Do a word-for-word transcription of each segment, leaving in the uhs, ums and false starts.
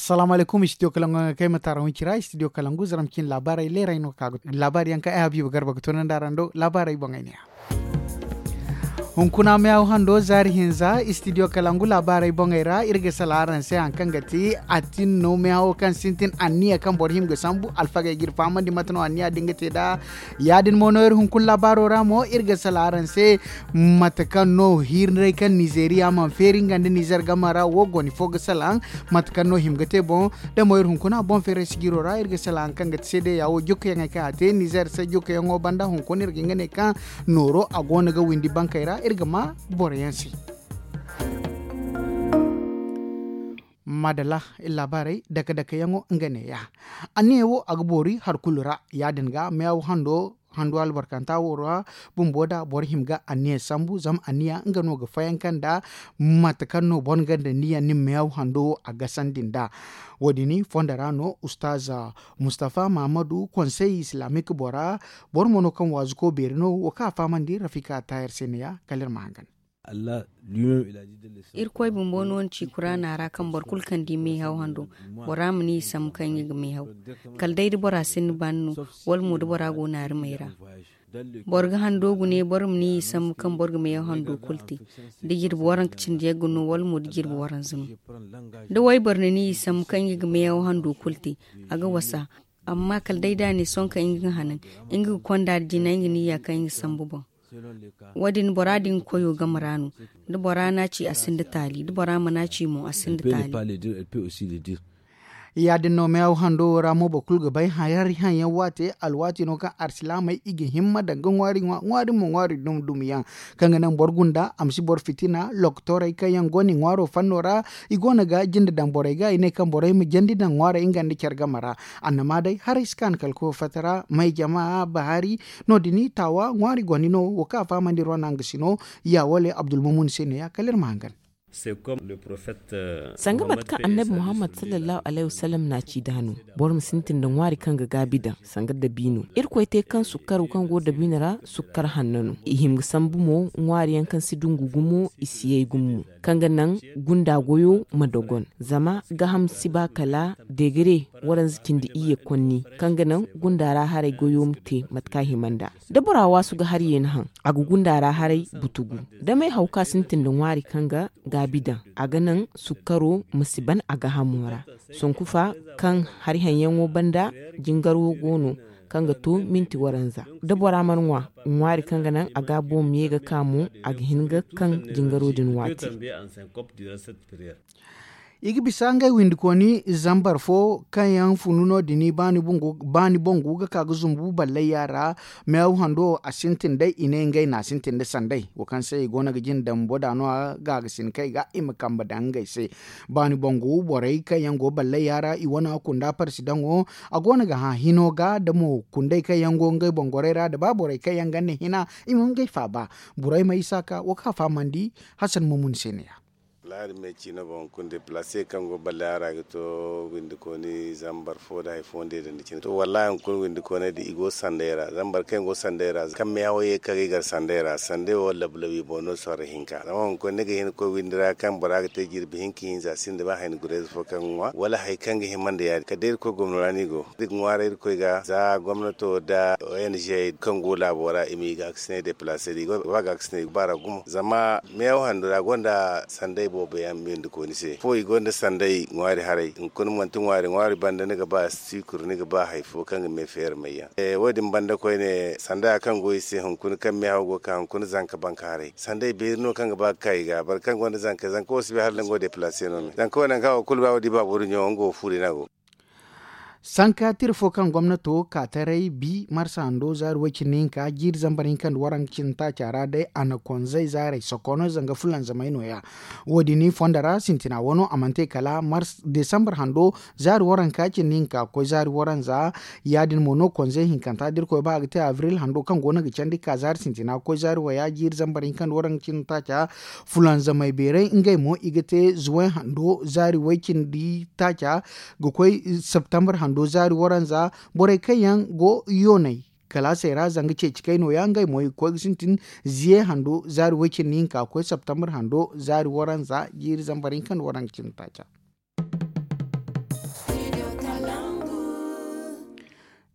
Salaamu alaykum, istidiyo kalangu yaŋ ga kay ma taara huncira istidiyo kalangu zaram cine laabaarey leerey no ka ga laabaari yaŋ kaŋ ay habiiba garba ga toonandi araŋ do laabaarey boŋey ne ya. Hunkuna meehaw hando zaari hinza istidiyo kalangu laabaarey boŋey ra iri ga sala araŋ se hari kaŋ ga ti atin no meehawo kaŋ sintin anniya kaŋ boro hima ga sambu alfagey ga iri fahamandi mate no anniya din ga te nd'a. Ya- din mo no iri hunkuna laabaaro ra mo iri ga sala araŋ se mate kaŋ no hiiray kaŋ nizeeriya mana feeri nga nda nizer game ra wo goni fo ga salaŋ mate kaŋ no hima ga te boŋ. Da mo iri hunkuna boŋ feeray sijiro ra iri ga sala hari kaŋ ga ti seedeya wo jukkayaŋey kaŋ a te nizer se jukkayaŋo banda hunkuna iri ga hin ga ne kaŋ nooro a go no ga windi bankey ra iri ga ma boro yaŋ se. Maadalla, iri laabaarey dake dake yaŋo nga ne- ya. Anniya wo a ga boori hari kulu ra ya- din ga meehaw hando hando albarkanta wo ra bumbo da boro hima ga anniya sambu zama anniya nga no ga fayanka nda mate kaŋ no boro ga nda niya nin meehaw hando wo a gasandi nd'a. Wo- din fondo ra no ustaz mustafa mahamadu konsey islamik bora boro mo no kaŋ waazuko beeri no wo kaŋ a fahamandi rafika tayar se ne- ya kala iri ma hangan. Irkoy bumbo no ni ci kuraana ra kaŋ boro kulu kaŋ di meehaw hando bora ma ni i sambu kaŋ nga ga meehaw. Kala day da bora sinda baani no wala mo da bora go naari may ra. Boro ga hando gune boro ma ni i sambu kaŋ boro ga meehaw hando kulu te. Da jirbi waranka cindi yagga no wala mo da jirbi waranza no. Da wayboro na ni i sambu kaŋ nga ga meehaw hando kulu te, a ga wasa. Amma kala day da a ne sohõ kaŋ nga ga hanan, nga ga konda da jina nga niya kaŋ nga sambu boŋ. Wo- din bora din koyo game ra no. Da bora n'a ci a sinda taali da bora mana ci mo a sinda taali. Ya- din no meehaw hando wo ra mo boro kulu ga bay hari haŋ yaŋ waate alwaati no kaŋ arsilaamey i ga himma daŋ ga ŋwaari ŋwa ŋwaari mo ŋwaari dumi dumi yaŋ. Kaŋ ga naŋ boro gunda a ma si boro fitina lokotorey kaŋ yaŋ go no i ŋwaaro fanno ra. I go no ga jinde daŋ borey ga i ne kaŋ borey ma jandi daŋ ŋwaarey nga nda care game ra. Annama day haray si kaanu kala koyo fatta ra may jama bahari. No- din taawa ŋwaari goni no wo kaŋ a fahamandi rona nga si no. Ya wale abdulmumun se ne- ya kala iri ma hangan. Sanga mate kaŋ annabi muhammad sallallahu alayhi wasallam n'a ci da no. Boro ma sintin nda ŋwaari kaŋ ga gaabi daŋ sanga dabiino irkoy te kaŋ sukkaro kaŋ go dabiino ra sukkar hanno no i hima ga sambu mo ŋwaari yaŋ kaŋ si dungu gumo i si yay gumo. Kaŋ ga naŋ gunda goyo ma dogon zama gaham si ba kala degere waranza cindi iyye konni kaŋ ga naŋ gunda ra haray goyo ma te mate kaŋ a hima nd'a. Da bora waasu ga hari yeeni haŋ a ga gunda ra haray butugu. Da may haw kaŋ a sintin nda ŋwaari kaŋ ga gaabi daŋ a ga naŋ sukkaro ma si ban a gahamo ra. Sonkufa kaŋ hari haŋ yaŋo banda jingaro go no kaŋ ga to minti waranza. Da bora mana ŋwa ŋwaari kaŋ ga naŋ a gaabo ma ye ga ka mo a ga hin ga kaŋ jingaro din waati. I ga bisa ngey windikooni zambar fo kaŋ yaŋ funu no- din baani boŋ gu ga ka ga zumbu ballay yaara. Meew hando a sintin day i ne ngey no a sintin nda sanday wo kaŋ se i go no ga jin dambo da no a ga ga sin kay ga i ma kambe daŋ ngey se. Baani boŋ gu borey kaŋ yaŋ go ballay yaara i wane kunda parsi daŋo. A go no ga hã hino ga da mo kundey kaŋ yaŋ go ngey boŋ gorey ra da ba borey kaŋ yaŋ ga ne hina i ma ngey faaba. Borey ma isa ka wo kaŋ a fahamandi hasan mumun se ne ya. Lahadi me ciina boŋ kulu deplase kaŋ go ballay a ra ga to windikooni zambar fo nda hari fo nda i dandi cine to wallahi hunkuna windikooney din i go sanday ra zambar kaŋ i go sanday ra kaŋ meehawo ye kaŋ ga i gar sanday ra sanday wo labu labu i boŋ no sorro hinka zama hunkuna ni ga hin ga koy windi ra kaŋ bora ga te jirbi hinka hinza sinda ba hayni gurayze fo kaŋ ga ŋwa wala hari kaŋ ga hima nda ya- din kala day irkoy gomno ra no i go da i ga ŋwaaray irkoy ga za gomnato da ong kaŋ go laabo ra i ma i ga ga sinay deplase da i go ba ga ga sinay baara gumo zama meew hando ra gonda sanday boobo yaŋ windikooni se fo i gonda sanday ŋwaari haray hunkuna manti ŋwaari ŋwaari banda ni ga ba sikuru ni ga ba hari fo kaŋ ga me feeri may yaŋ wo- din banda koyne sanda kaŋ go i se hunkuna kaŋ meehaw go ga ka hunkuna zanka banka haray sanday beeri no kaŋ ga ba ga ka i ga boro kaŋ gonda zanka zanka wo si bay hala da nga wo deplase no me zanka wo nangu kaŋ wo kulu ba wo di ba boro ɲo nga wo fuuri no a go. Sanka tira fo kaŋ gomnato ka taray bi marsa hando zaari way cindi hinka jiiri zambar hinka nda waranka cindi taaca ra day a na konzey zaarey sokono zanga fulanzamey no- ya. Wo- din fondo ra sintina wano a mana te kala desambar hando zaari waranka cindi hinka ga koy zaari waranza. Ya- din mo no konzey hinkanta da irkoy ba a ga te abril hando kaŋ go no ga candi ga ka zaari sintina ga koy zaari waya jiiri zambar hinka nda waranka cindi taaca. Fulanzamey beeray ngey mo i ga te zuway hando zaari way cindi taaca ga koy septembre hando zaari waranza. Borey kaŋ yaŋ go yoonay kalaasey ra zanga ceeci kay nooya ngey mo i ga koy ga sintin ziye hando zaari way cindi hinka ga koy septembre hando zaari waranza jiiri zambar hinka nda waranka cindi taaca.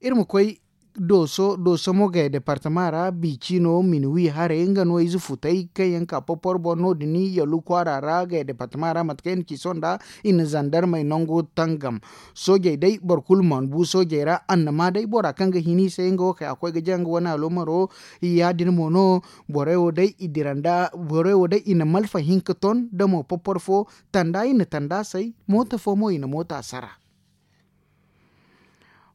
Iri ma koy dooso dooso mo gaya departama ra biici no minuwi haray nga no ize futay kaŋ yaŋ ka popor boŋ no- din yallu kwaara ra gaya departama ra mate kaŋ i na ci sohõ nda i na zandarmey nango tangam. Soojey day boro kulu mana bu soojey ra annama day bora kaŋ ga hin i se nga wo kay a koy ga jaŋ nga wane aloomaro. Ya- din mo no borey wo day i dira nda borey wo day i na malfa hinka ton da mo popor fo tanda i na tanda say moota fo mo i na moota sara.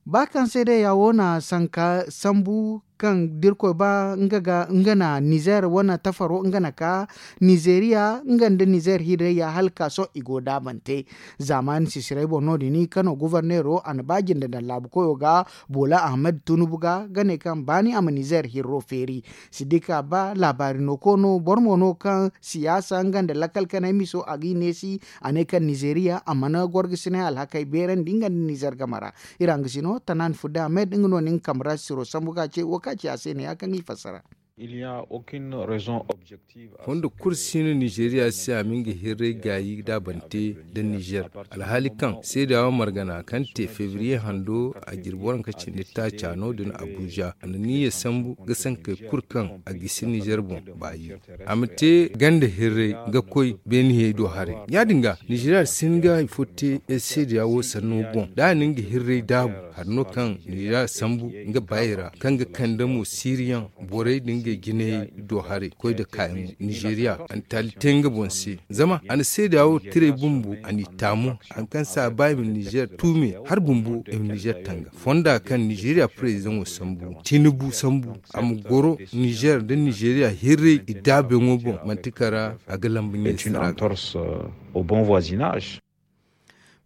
Ba kaŋ seedeya wo na sanka sambu kaŋ da irkoy ba nga na nizer wane tafaro nga na ka nizeriya nga nda nizer hirreya hala ka sohõ i go daabante. Zaamaani sisiray boŋ no- din kano goforneero a na ba jinde daŋ laabu koyo ga boola ahamed tunubu ga ga ne kaŋ baani a ma nizer hirro feeri. Sidika ba laabaari no ko no boro mo no kaŋ siyaasa nga nda lakkal kanay miso a ga i neesi. A ne kaŋ nizeriya a mana gorgasinay alhakey beerandi nga nda nizer game ra. Iri hangasino tanan fudda ahmed nga no nin kamra siro sambu ga ce wo ka ci a se ne ya kaŋ i fassara. Fondo kulu si no nizeriya se a ma nga hirray gaayi daabante nda nizer. Alhaali kaŋ seedawa margana kaŋ te febriye hando a jirbi waranka cindi taaca no- din abuja a na niyya sambu ga sankey kulu kaŋ a gisi nizer boŋ baayi. A ma te ganda hirray ga koy beenihey do haray. Ya- din ga nizeriya si hin ga hari fo te seedawa wo sanno boŋ da a na nga hirray daabu hari no kaŋ nizeriya sambu nga baayey ra kaŋ ga kande mo siiriyaŋ borey nda ngey jinayey do haray koy nda kaayaŋo nizeriya a na taali te nga boŋ se. Zama a na seedawa wo tiray bumbo a n'i taamu hari kaŋ se a ba i ma nizer tuume hari bumbo i ma nizer tanga fonda kaŋ nizeriya prezidaŋo sambu tinubu sambu a ma goro nizer nda nizeriya hirray i daabeyaŋo boŋ manti kara a ga lamba ɲey sara ga.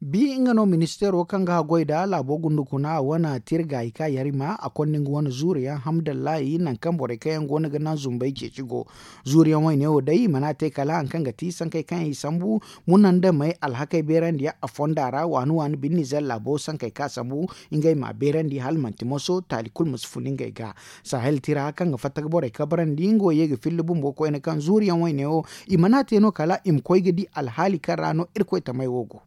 Bi nga no ministeero kaŋ ga haggoy nda laabo gundukuna wane tirgaayi ka yarima a konda nga wane zuuriyaŋ hamdallahi nangu kaŋ borey kaŋ yaŋ go no ga naŋ zumbey ceeci go. Zuuriyaŋ wayne wo day i mana te kala hari kaŋ ga ti sankey kaŋ yaŋ i sambu munandamey alhakey beerandiyaŋ a fonda ra waani waani bine nizer laabo sankey kaŋ a sambu ngey m'a beerandi hala manti moso taali kulu ma si fun ngey ga. Sahel tira kaŋ ga fatta ga borey kabrandi nga wo ye ga filli bumbo koyne kaŋ zuuriyaŋ wayne wo i mana te no kala i ma koy ga di alhaali kaŋ ra no irkoy tamey wo go.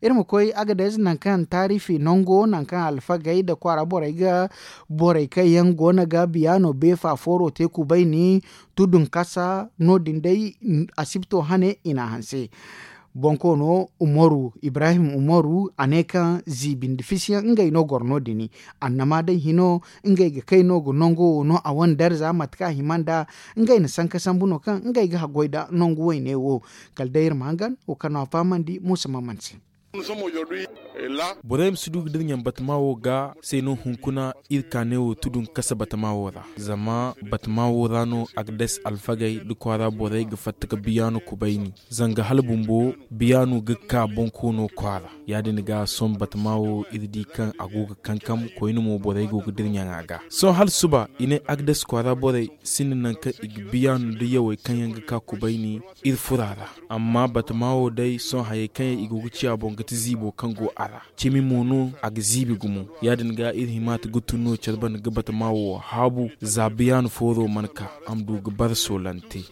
Iri ma koy agades nangu kaŋ taarifi nango nangu kaŋ alfagey nda kwaara borey ga borey kaŋ yaŋ go no ga biyaano beefa fooro te kubayni tudunkasa no- din day asibto hane i n'a hanse. Bonkoono umaru ibrahim umaru a ne kaŋ ziibi nda fisiyaŋ ngey no goro no- din. Annama day hino ngey ga kay no ga nango wo no a wane darza mate kaŋ a hima nda ngey na sanka sambu no kaŋ ngey ga haggoy nda nangu wayne wo. Kala day iri ma hangan wo kaŋ no a fahamandi muusa maman se. Borey ma si du ga dira ɲaŋ batama wo ga se no hunkuna iri kaanay wo tudun kasa batama wo ra zama batama wo ra no agades alfagey nda kwaara borey ga fatta ga biyaano kubayni. Zanga hala bumbo biyaano ga ka bonkoono kwaara. Ya- din ga sohõ batama wo iri di kaŋ a go ga kankam koyne mo borey go ga dira ɲaŋa ga sohõ hala suba i ne agades kwaara borey sinda nangu kaŋ i ga biyaano nda yawey kaŋ yaŋ ga ka kubayni iri furo a ra. Amma batama wo day sohõ hayey kaŋ yaŋ i go ga ciya boŋ ga ti ziibo kaŋ go a ra. Cimi mo no a ga ziibi gumo. Ya- din ga iri hima ti ga tun no care banda ga batama wo haabu za biyaano fooro mana ka a ma du ga bara soolante.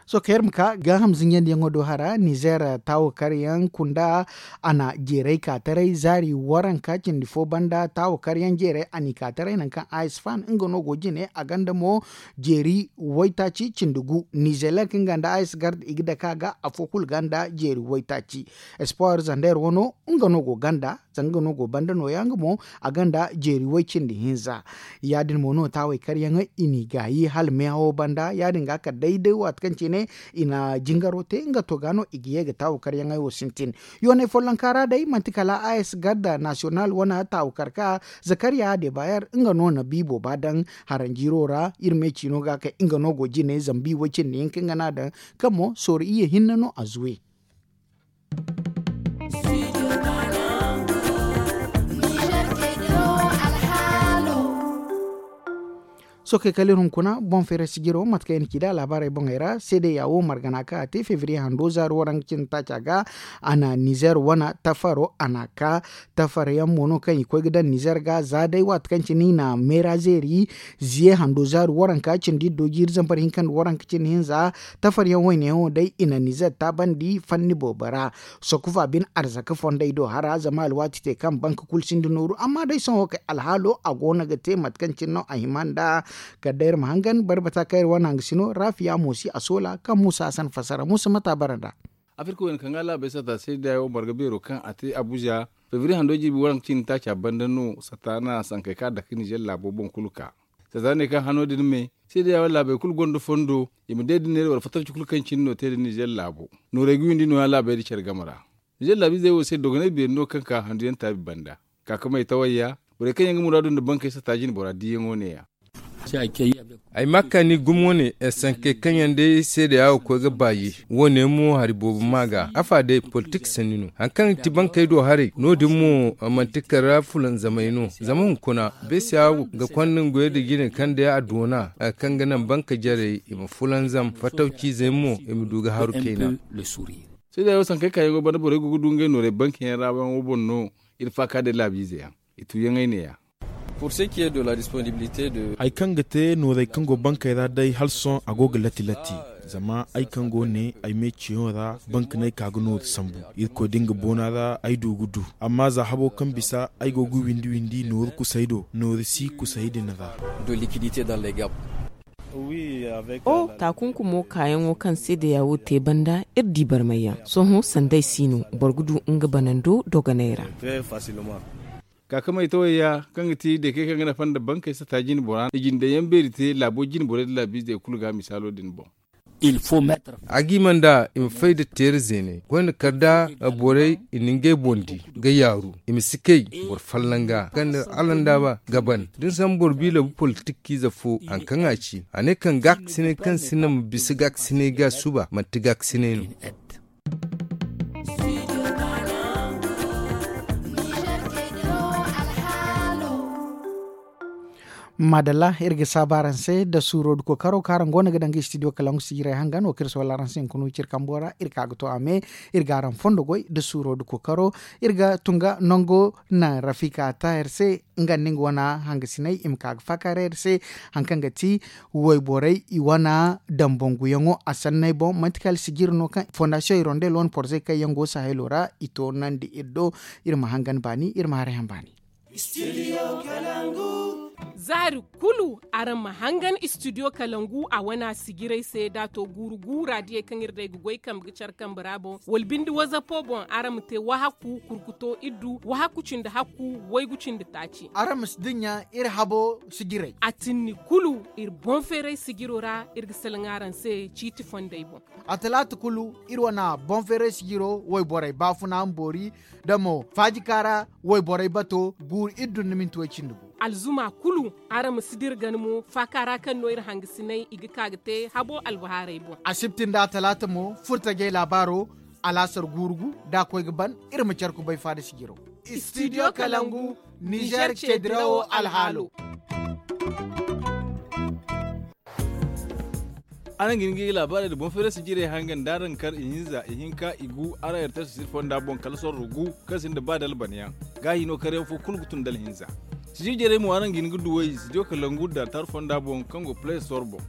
Sohõ kaŋ iri ma ka gaaham zinjandiyaŋo do hara nizer taawo karyaŋ kunda a na jeeray ka taray zaari waranka cindi fo banda taawo karyaŋ jeeray a n'i ka taray nangu kaŋ a s fan nga no go jine a gonda mo jeeri waytaaci cindi gu nizelek nga nda a s garde i ga dake a ga afo kulu gonda jeeri waytaaci. Espoir zander wano nga no go gonda zanga nga no go banda nooya nga mo a gonda jeeri way cindi hinza. Ya- din mo no taawey karyaŋey i n'i gaayi hala meehawo banda ya- din ga kala day day waati kaŋ cine i na jingaro te nga to ga no i ga ye ga taawo karyaŋey wo sintin. Yoonay follonka ra day manti kala a s garda nasiyonal wane taawo karka zakariya debayer nga no na biibo ba daŋ haranjiiro ra iri me ciino ga kay nga no go jine zambi way cindi hinka nga no a daŋ kaŋ mo sooro iyye hinne no a zuwe. Sookey kala iri hunkuna boŋ feeray sijiro mate kaŋ i na ci nd'a laabaarey boŋey ra seedeya wo margana kaŋ a te febriye hando zaari waranka cindi taaca ga. A na nizer wane tafaro a n'a ka tafar yaŋ mo no kaŋ i koy ga daŋ nizer ga za day waati kaŋ cine i na meera zeeri ziye hando zaari waranka cindi iddo jiiri zambar hinka nda waranka cindi hinza. Tafar yaŋ wayne yaŋo day i na nizer taabandi fanni boobo ra. Sokufa bin arzaka fondey do hara zama alwaati te kaŋ banka kulu sinda nooru amma day sohõ kay alhaalo a go no ga te mate kaŋ cine no a hima nd'a. Kala day iri ma hangan barbata kaŋ iri wane hangasino raafiya mo si a soola kaŋ muusa hasan fassara muusa mate a bara nd'a. Afirka wayna kaŋ ga laabey sata seedeya wo marga beero kaŋ a te abuza febriye hando jirbi waranka cindi taaca banda no sata na sankey kaŋ a dake nizer laabo boŋ kulu ka. Sata ne kaŋ hano din me seedeya wo laabey kulu gonda fondo i ma day da neera wala fatarci kulu kaŋ cine no te da nizer laabo. Noorey ga windi nooya laabey da care game ra. Nizer laabiizey wo se dogonay beeri no kaŋ ka handu yaŋ taabi banda. Kaakamey tawayya borey kaŋ yaŋ ga muraadu nda bankey sata jine bora diiyaŋo neeya. Ay ma kaani gumo ne sankey kaŋ yaŋ day seedeya wo koy ga baayi. Wo- ne mo hari boobo ma ga afa day politik sanni no hari kaŋ ga ti bankey do haray no- din mo manti kala fulanzamey no. Zama hunkuna beesiya ga konda nga goyey nda jine kaŋ day a doona hari kaŋ ga naŋ banka jarey i ma fulanzam fatawciizey mo i ma du ga haru kayna. Seedeya wo sankey kaayaŋo banda borey go ga du ngey noorey banka yaŋ ra yaŋo boŋ no. Iri faaka day laabiize yaŋ i tuuyaŋey neeya. Hari kaŋ ga te noorey kaŋ go bankey ra day hala sohõ a go ga lati lati. Zama ay kaŋ go ne ay me ciyaŋo ra banka no ay ka ga nooru sambu. Irkoy da nga boona ra ay du ga du. Amma za habo kaŋ bisa ay go ga windi windi nooru kusay do nooru si kusay din ra. O taakunkumo kaayaŋo kaŋ seedeya wo te banda iri di barmayyaŋ sohõ sanda ay si no boro ga du nga banando dogonay ra. Kaakamey tawayya kaŋ ga ti deekey kaŋ ga nafa nda bankey sata jine bora i jindeyaŋ beeri te laabo jine borey nda laabiizey kulu ga misaalo din boŋ. A ga i ma nda i ma fay nda teera zeeney koyne kala nda borey i na ngey boŋ di ga yaaru i ma si kay boro fallaŋ ga kaŋ nda alandaaba ga ban da ni sambu boro biila bu politik kiize fo hari kaŋ a ci a ne kaŋ gaakasinay kaŋ sinda ma bisa gaakasinay ga suba manti gaakasinay no. Maadalla iri ga saabu araŋ se nda suuro nda kookaro kaŋ araŋ go no ga daŋ ga istidiyo kalangu sijirey hangan wo kaŋ iri soola araŋ se hunkuna wo cire kambo ra iri ka ga to a me. Iri ga araŋ fondo goy nda suuro nda kookaro. Iri ga tun ga nango naŋ rafika taahir se nga nda nga wane hangasiney i ma ka ga faakaaray iri se. Hari kaŋ ga ti wayborey i wane dambanguyaŋo a sanney boŋ manti kala sijiri no kaŋ fondasiyoŋ hirondel wane porzey kaŋ yaŋ go sahelo ra i toonandi iri do. Iri ma hangan baani iri ma haray haŋ baani. Zaari kulu araŋ ma hangan istidiyo kalangu a wana sijirey se da a to guuru guura diyey kaŋ iri day ga goy kambe ga care kambe ra boŋ wala binde wazapo boŋ araŋ ma te wahakku kurkuto iddu wahakku cindi hakku waygu cindi taaci. Araŋ ma si dinya iri habo sijirey a tinni kulu iri boŋ feeray sijiro ra iri ga salaŋ araŋ se ciiti fondey boŋ. A talaata kulu iri wane boŋ feeray sijiro wayborey baafuna ma boori da mo faajikaara wayborey bato guuru iddu nda minti way cindi gu. Alzuma kulu araŋ ma si dira gana mo faaka ra kaŋ no iri hangasinay i ga ka ga te habo albahaarey boŋ. Asibti nda atalaata mo furtajey laabaaro alaasar guuru gu da a koy ga ban iri ma care kubay faada sijiro. Istidiyo kalangu nizer ceedirawo alhaalo. Araŋ ga hin ga i laabaarey nda boŋ feeray sijirey hangan da araŋ kar ihinza ihinka igu araŋ yartay sisir fonda boŋ kala sorro gu kaŋ sinda ba dalbanyaŋ. Gaahi no karyaŋ fo kulu ga tun dalhinza. Sijir jarey mo araŋ ga hin ga duwey sijir kalangu da altar fonda boŋ kaŋ go play store boŋ.